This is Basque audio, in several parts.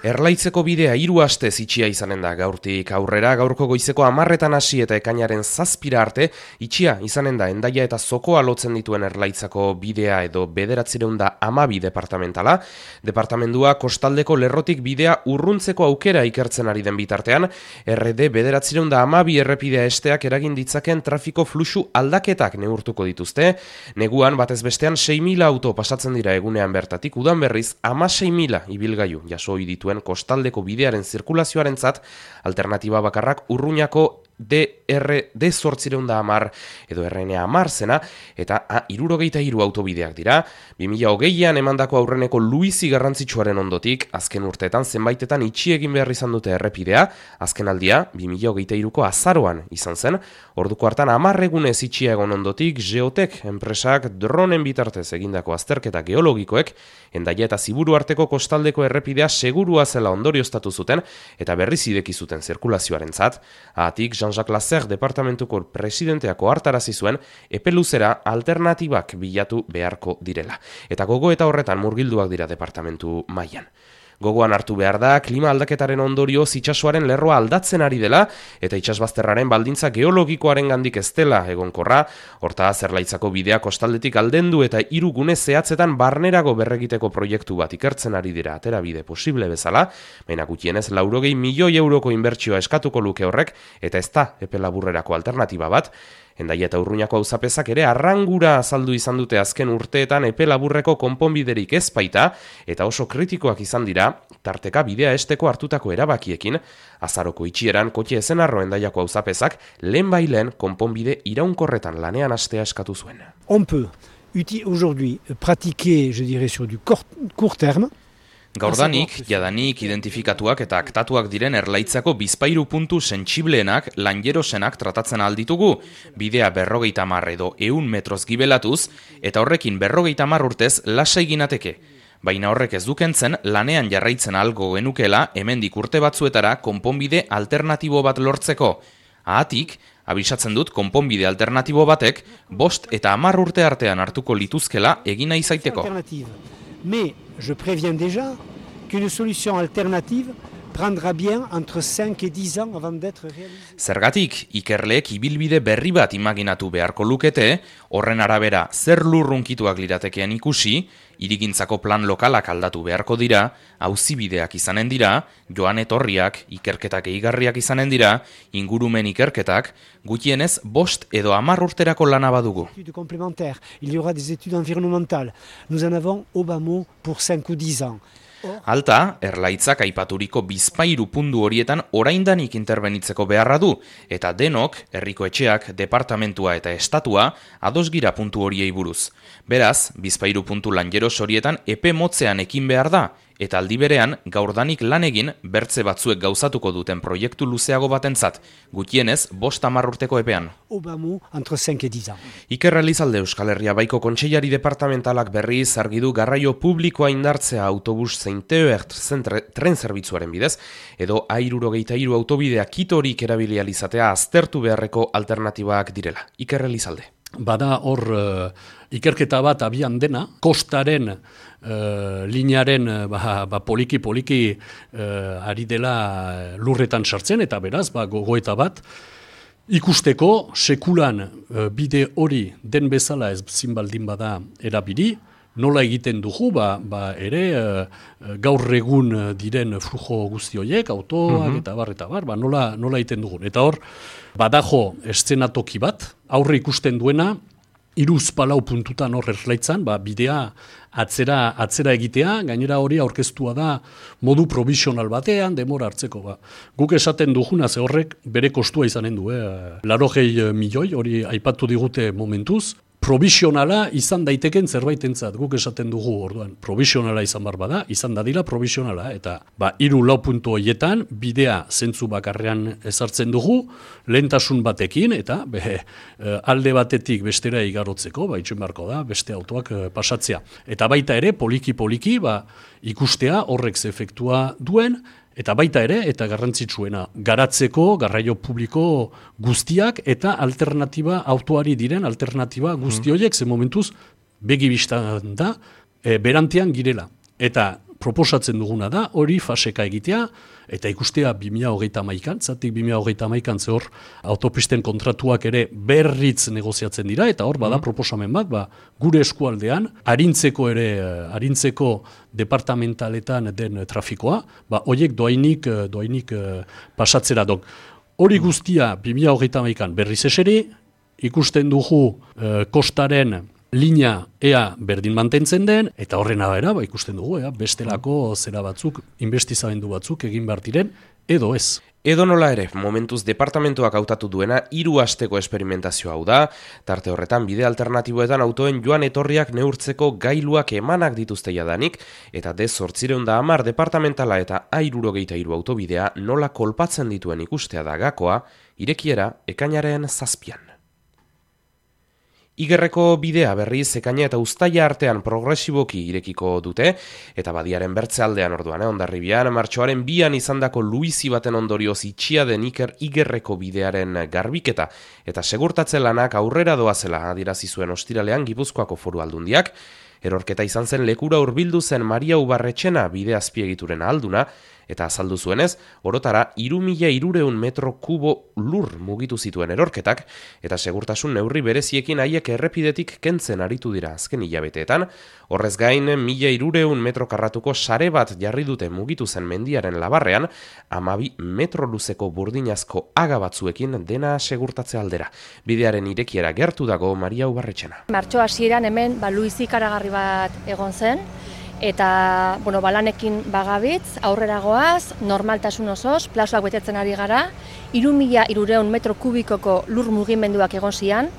Erlaitzeko bidea 3 astez itxia izanen da gaurtik aurrera, gaurko goizeko 10etan hasi eta ekainaren 7 arte itxia izanen da Hendaia eta Zokoa lotzen dituen Erlaitzako bidea edo 912 departamentala. Departamendua kostaldeko lerrotik bidea urruntzeko aukera ikertzen ari den bitartean, RD 912 errepidea esteak eragin ditzaken trafiko fluxu aldaketak neurtuko dituzte. Neguan batez bestean 6.000 auto pasatzen dira egunean bertatik, udan berriz 16.000 ibilgailu jaso ohi dituen kostaldeko bidearen zirkulazioarentzat alternatiba bakarrak Urruñako DR-810 edo RN10 zena eta A63 autobideak dira. 2020an emandako aurreneko luizi garrantzitsuaren ondotik, azken urteetan zenbaitetan itxi egin behar izan dute errepidea, azken aldia 2023ko azaroan izan zen, orduko hartan 10 egunez itxia egon ondotik, Geotek enpresak dronen bitartez egindako azterketa geologikoek, Hendaia eta Ziburu arteko kostaldeko errepidea segurua zela ondorioztatu zuten eta berriz ideki zuten zirkulazioarentzat. Atik Jean-Jacques Lasser departamentuko presidenteako hartarazi zuen epe luzera alternatibak bilatu beharko direla. Eta gogoeta horretan murgilduak dira departamentu mailan. Gogoan hartu behar da, klima aldaketaren ondorioz itsasoaren lerroa aldatzen ari dela eta itsasbazterraren baldintza geologikoaren gandik ez dela egonkorra, hortaz Erlaitzako bidea kostaldetik aldendu eta 3 gune zehatzetan barnerago berregiteko proiektu bat ikertzen ari dira aterabide posible bezala, baina gutxienez 80 milioi euroko inbertsioa eskatuko luke horrek eta ez da epe laburrerako alternatiba bat. Hendaia eta Urruñako auzapezak ere arrangura azaldu izan dute azken urteetan epe laburreko konponbiderik ez baita eta oso kritikoak izan dira tarteka bidea esteko hartutako erabakiekin. Azaroko itxieran kotxe ezenarro Hendaiako auzapezak lehenbailen konponbide iraunkorretan lanean hastea eskatu zuen. On peut aujourd'hui pratiquer, je dirais, sur du court terme. Gaurdanik, jadanik identifikatuak eta aktatuak diren Erlaitzako bizpahiru puntu sentsibleenak, lanjerosenak tratatzen alditugu, bidea 50 edo 100 metroz gibelatuz, eta horrekin 50 urtez lasai ginateke. Baina horrek ez dukentzen lanean jarraitzen algo genukela hemendik urte batzuetara konponbide alternatibo bat lortzeko. Ahatik, abisatzen dut konponbide alternatibo batek 5 eta 10 urte artean hartuko lituzkela egina izaiteko. Mais je préviens déjà qu'une solution alternative prendra bien entre 5 et 10 ans avant d'être réalisée. Zergatik, ikerleek ibilbide berri bat imaginatu beharko lukete, horren arabera zer lurrunkituak liratekean ikusi, hirigintzako plan lokalak aldatu beharko dira, auzibideak izanen dira, joan etorriak, ikerketak gehigarriak izanen dira, ingurumen ikerketak, gutienez 5 edo 10 urterako lana badugu. Il y aura des études environnementales. Nous en avons au bas mot pour 5 ou 10 ans. Alta, Erlaitzak aipaturiko bizpahiru puntu horietan oraindanik interbenitzeko beharra du, eta denok, herriko etxeak, departamentua eta estatua, ados gira puntu horiei buruz. Beraz, bizpahiru puntu lanjeros horietan epe motzean ekin behar da, eta aldi berean gaurdanik lan egin bertze batzuek gauzatuko duten proiektu luzeago batentzat, gutienez 5-10 urteko epean. Iker Elizalde Euskal Herria Baiko Kontseilari departamentalak berriz argi du garraio publikoa indartzea autobus zein TER tren zerbitzuaren bidez, edo A63 autobidea kitorik erabili ahal izatea aztertu beharreko alternatibak direla. Iker Elizalde. Bada hor ikerketa bat abian dena, kostaren linearen poliki ari dela lurretan sartzen, eta beraz, gogoeta bat, ikusteko sekulan bide hori den bezala ez zinbaldin bada erabili, nola egiten dugu, ere gaur egun diren flujo guzti horiek, autoak eta bar, nola egiten dugun. Eta hor, badajo eszenatoki bat, aurre ikusten duena, 3-4 puntutan hor Erlaitzan, bidea atzera egitea, gainera hori aurkeztua da modu provisional batean, demora hartzeko. Guk esaten duguna ze horrek bere kostua izanen du, 80 milioi, hori aipatu digute momentuz, provisionala izan daiteken zerbaitentzat, guk esaten dugu orduan. Provisionala izan bar bada, izan dadila provisionala, eta 3-4 puntu horietan bidea zentzu bakarrean ezartzen dugu, lehentasun batekin, eta alde batetik bestera igarotzeko, itxen beharko da, beste autoak pasatzea. Eta baita ere, poliki ikustea horrek ze efektua duen, Eta baita ere, eta garrantzitsuena, garatzeko, garraio publiko guztiak eta alternatiba, autoari diren alternatiba guzti horiek, ze momentuz, begibistan da, berantean girela. Eta proposatzen duguna da, hori faseka egitea, eta ikustea 2031an, zatik 2031an hor autopisten kontratuak ere berritz negoziatzen dira, eta hor bada proposamen bat, gure eskualdean, arintzeko departamentaletan den trafikoa, horiek doainik pasatzera dok. Hori guztia 2031an berriz eseri, ikusten dugu kostaren linea ea berdin mantentzen den, eta horren abera, ikusten dugu, bestelako zera batzuk, investizamendu batzuk egin behar diren, edo ez. Edo nola ere, momentuz departamentoak hautatu duena 3 asteko esperimentazio hau da, tarte horretan bide alternatiboetan autoen joan etorriak neurtzeko gailuak emanak dituzte jadanik, eta D810 departamentala eta A63 autobidea nola kolpatzen dituen ikustea da gakoa, irekiera ekainaren 7. Igerreko bidea berriz ekaina eta uztaila artean progresiboki irekiko dute, eta badiaren bertze aldean orduan, Hondarribian, martxoaren 2an izandako luizi baten ondorioz itxia den Igerreko bidearen garbiketa, eta segurtatze lanak aurrera doazela adierazi zuen ostiralean Gipuzkoako Foru Aldundiak, erorketa izan zen lekura hurbildu zen Maria Ubarretxena bide azpiegituren ahalduna, eta azaldu zuenez, orotara 3.300 metro kubo lur mugitu zituen erorketak, eta segurtasun neurri bereziekin haiek errepidetik kentzen aritu dira azken hilabeteetan, horrez gain 1.300 metro karratuko sare bat jarri dute mugitu zen mendiaren labarrean, 12 metro luzeko burdinazko aga batzuekin dena segurtatze aldera. Bidearen irekiera gertu dago Maria Ubarretxena. Martxo hasieran hemen luizi ikaragarri bat egon zen, eta balanekin bagabitz, aurrera goaz, normaltasun osoz, plazoak betetzen ari gara, 3.300 metro kubikoko lur mugimenduak egon zian,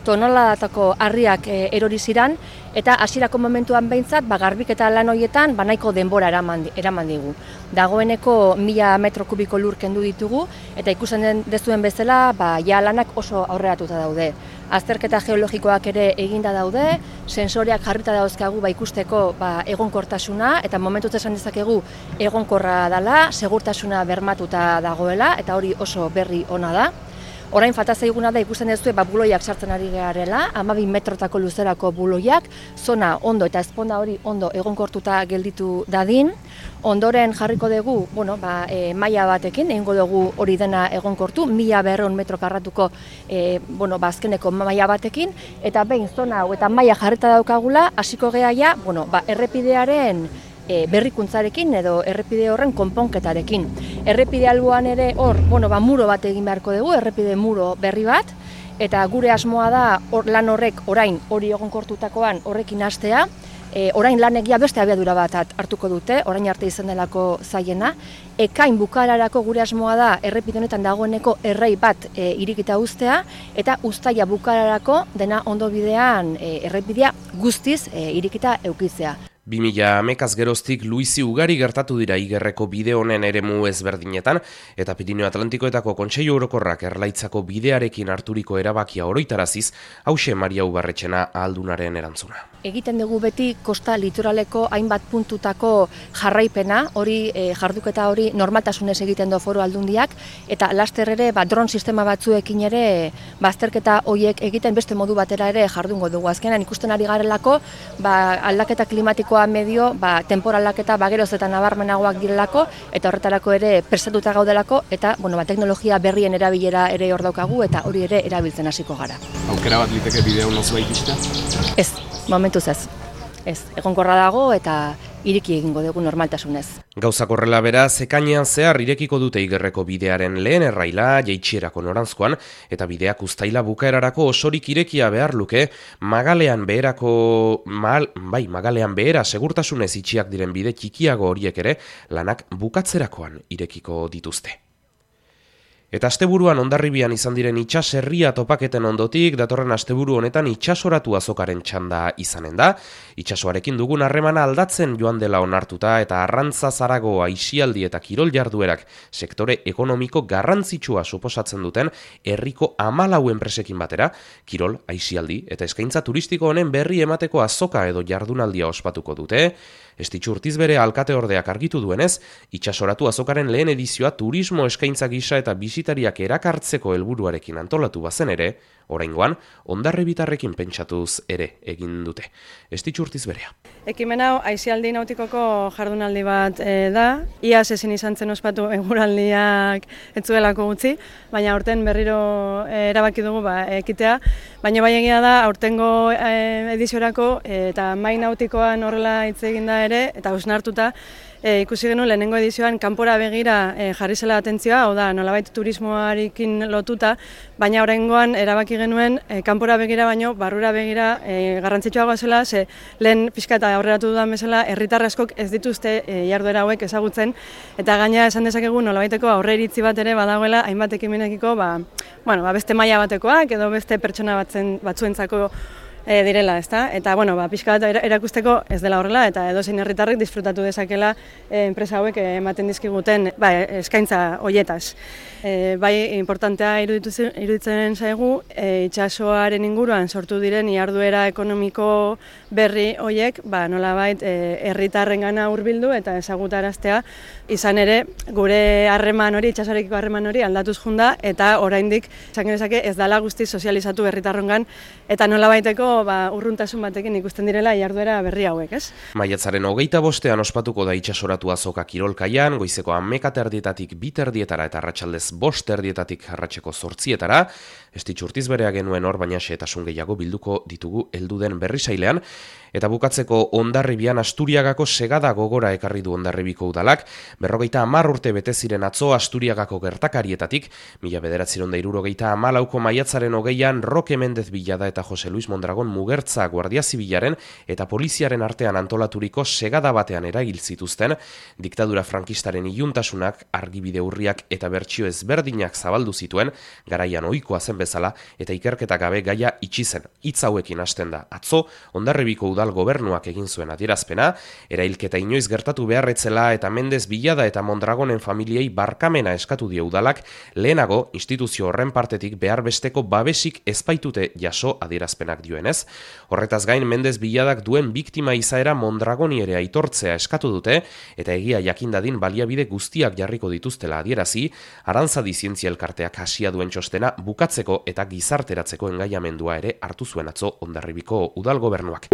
toneladatako harriak erori ziran, eta hasierako momentuan behintzat, garbiketa lan horietan nahiko denbora eraman digu. Dagoeneko 1.000 metro kubiko lur kendu ditugu, eta ikusten dezuen bezala, ja lanak oso aurreratuta daude. Azterketa geologikoak ere eginda daude, sensoreak jarrita dauzkagu ikusteko egonkortasuna, eta momentuz esan dezakegu egonkorra dela, segurtasuna bermatuta dagoela, eta hori oso berri ona da. Orain falta zaiguna da ikusten dezue buloiak sartzen ari garela, 12 metrotako luzerako buloiak, zona ondo eta ezponda hori ondo egonkortuta gelditu dadin. Ondoren jarriko dugu, maila batekin, egingo dugu hori dena egonkortu, 1.200 metro karratuko azkeneko maila batekin, eta behin zona hau eta maila jarrita daukagula, hasiko geha errepidearen berrikuntzarekin edo errepide horren konponketarekin. Errepide alboan ere hor, muro bat egin beharko dugu, errepide muro berri bat, eta gure asmoa da lan horrek orain hori egonkortutakoan horrekin hastea, orain lanegia beste abiadura bat hartuko dute, orain arte izan delako zaiena, ekain bukararako gure asmoa da errepide honetan dagoeneko errei bat irikita uztea, eta uztaila bukararako dena ondo bidean errepidea guztiz irikita eukitzea. 2000 geroztik luizi ugari gertatu dira Igerreko bide honen eremu ezberdinetan, eta Pirineo Atlantikoetako Kontseilu Orokorrak Erlaitzako bidearekin harturiko erabakia oroitaraziz, hauxe Maria Ubarretxena ahaldunaren erantzuna. Egiten dugu beti kosta litoraleko hainbat puntutako jarraipena, hori jarduketa hori normaltasunez egiten du Foru Aldundiak, eta laster ere dron sistema batzuekin ere bazterketa horiek egiten beste modu batera ere jardungo dugu. Azkenan ikusten ari garelako, aldaketa klimatikoa medio, temporalak eta geroz eta nabarmenagoak direlako, eta horretarako ere prestatuta gaudelako, eta teknologia berrien erabilera ere hor daukagu, eta hori ere erabiltzen hasiko gara. Aukera bat liteke bideo nozu ikustea? Ez, momentuz ez. Ez, egonkorra dago eta iriki egingo dugu normaltasunez. Gauzak horrela beraz, ekainean zehar irekiko dute Igerreko bidearen lehen erraila, jaitsierako noranzkoan, eta bideak uztaila bukaerarako osorik irekia behar luke, Magalean behera segurtasunez itxiak diren bide txikiago horiek ere, lanak bukatzerakoan irekiko dituzte. Eta asteburuan Hondarribian izan diren itsaserria topaketen ondotik, datorren asteburu honetan itsasoratu azokaren txanda izanen da. Itsasoarekin dugun harremana aldatzen joan dela onartuta eta arrantza zarago aisialdi eta kirol jarduerak sektore ekonomiko garrantzitsua suposatzen duten herriko 14 enpresekin batera, kirol, aisialdi eta eskaintza turistiko honen berri emateko azoka edo jardunaldia ospatuko dute. Estitxu Urtizbere alkateordeak argitu duenez, itsasoratu azokaren lehen edizioa turismo eskaintza gisa eta bisitariak erakartzeko helburuarekin antolatu bazen ere, oraingoan Hondarribitarrekin pentsatuz ere egin dute. Estitxu Urtizberea. Ekimen hau aisialdi nautikoko jardunaldi bat da. Iaz ezin izan zen ospatu eguraldiak ez zuelako gutxi, baina aurten berriro erabaki dugu ekitea. Baina bai egia da aurtengo ediziorako eta mai nautikoan horrela hitz egin da ere, eta hausnartuta ikusi genuen lehenengo edizioan kanpora begira jarri zela atentzioa, hau da, nolabait turismoarekin lotuta, baina oraingoan erabaki genuen kanpora begira baino barrura begira garrantzitsuagoa zela, ze lehen pixka eta aurreratu dudan bezala herritar askok ez dituzte jarduera hauek ezagutzen, eta gaina esan dezakegu nolabaiteko aurreiritzi bat ere badagoela hainbat ekimenekiko beste maila batekoak edo beste pertsona batzuentzako direla, ezta? Eta pixka bat erakusteko ez dela horrela eta edozein herritarrek disfrutatu dezakela enpresa hauek ematen dizkiguten eskaintza hoietaz. Bai, importantea iruditzen zaigu itsasoaren inguruan sortu diren jarduera ekonomiko berri hoiek nolabait herritarrengana hurbildu eta ezagutaraztea, izan ere gure harreman hori, itsasoarekiko harreman hori aldatuz joan da eta oraindik esan genezake ez dela guztiz sozializatu herritarrongan eta nolabaiteko urruntasun batekin ikusten direla jarduera berri hauek, ez? Maiatzaren 25ean ospatuko da itsasoratu azoka kirolkaian, goizeko 11:00 2:00 eta arratsaldez 5:00 arratseko 8:00. Estitxurtiz berea genuen hor, baina xehetasun gehiago bilduko ditugu heldu den berrisailean. Eta bukatzeko Hondarribian Asturiagako segada gogora ekarri du Hondarribiko udalak. 50 urte bete ziren atzo Asturiagako gertakarietatik, 1974ko maiatzaren 20ean Roque Mendez Villada eta Jose Luis Mondragon Mugertza Guardia Zibilaren eta poliziaren artean antolaturiko segada batean eragil zituzten, diktadura frankistaren iluntasunak, argibide urriak eta bertsio ezberdinak zabaldu zituen, garaian ohikoa zen bezala, eta ikerketa gabe gaia itxi zen. Hitz hauekin hasten da atzo Hondarribiko udal gobernuak egin zuen adierazpena, erailketa inoiz gertatu beharretzela eta Mendez Villada eta Mondragonen familiei barkamena eskatu dio udalak, lehenago instituzio horren partetik behar besteko babesik ezpaitute jaso adierazpenak dioenez. Horretaz gain Mendez Villadak duen biktima izaera Mondragoni ere aitortzea eskatu dute, eta egia jakindadin baliabide guztiak jarriko dituztela adierazi, Arantzadi Zientzia Elkarteak hasia duen txostena bukatzeko eta gizarteratzeko engaiamendua ere hartu zuen atzo Hondarribiko udal gobernuak.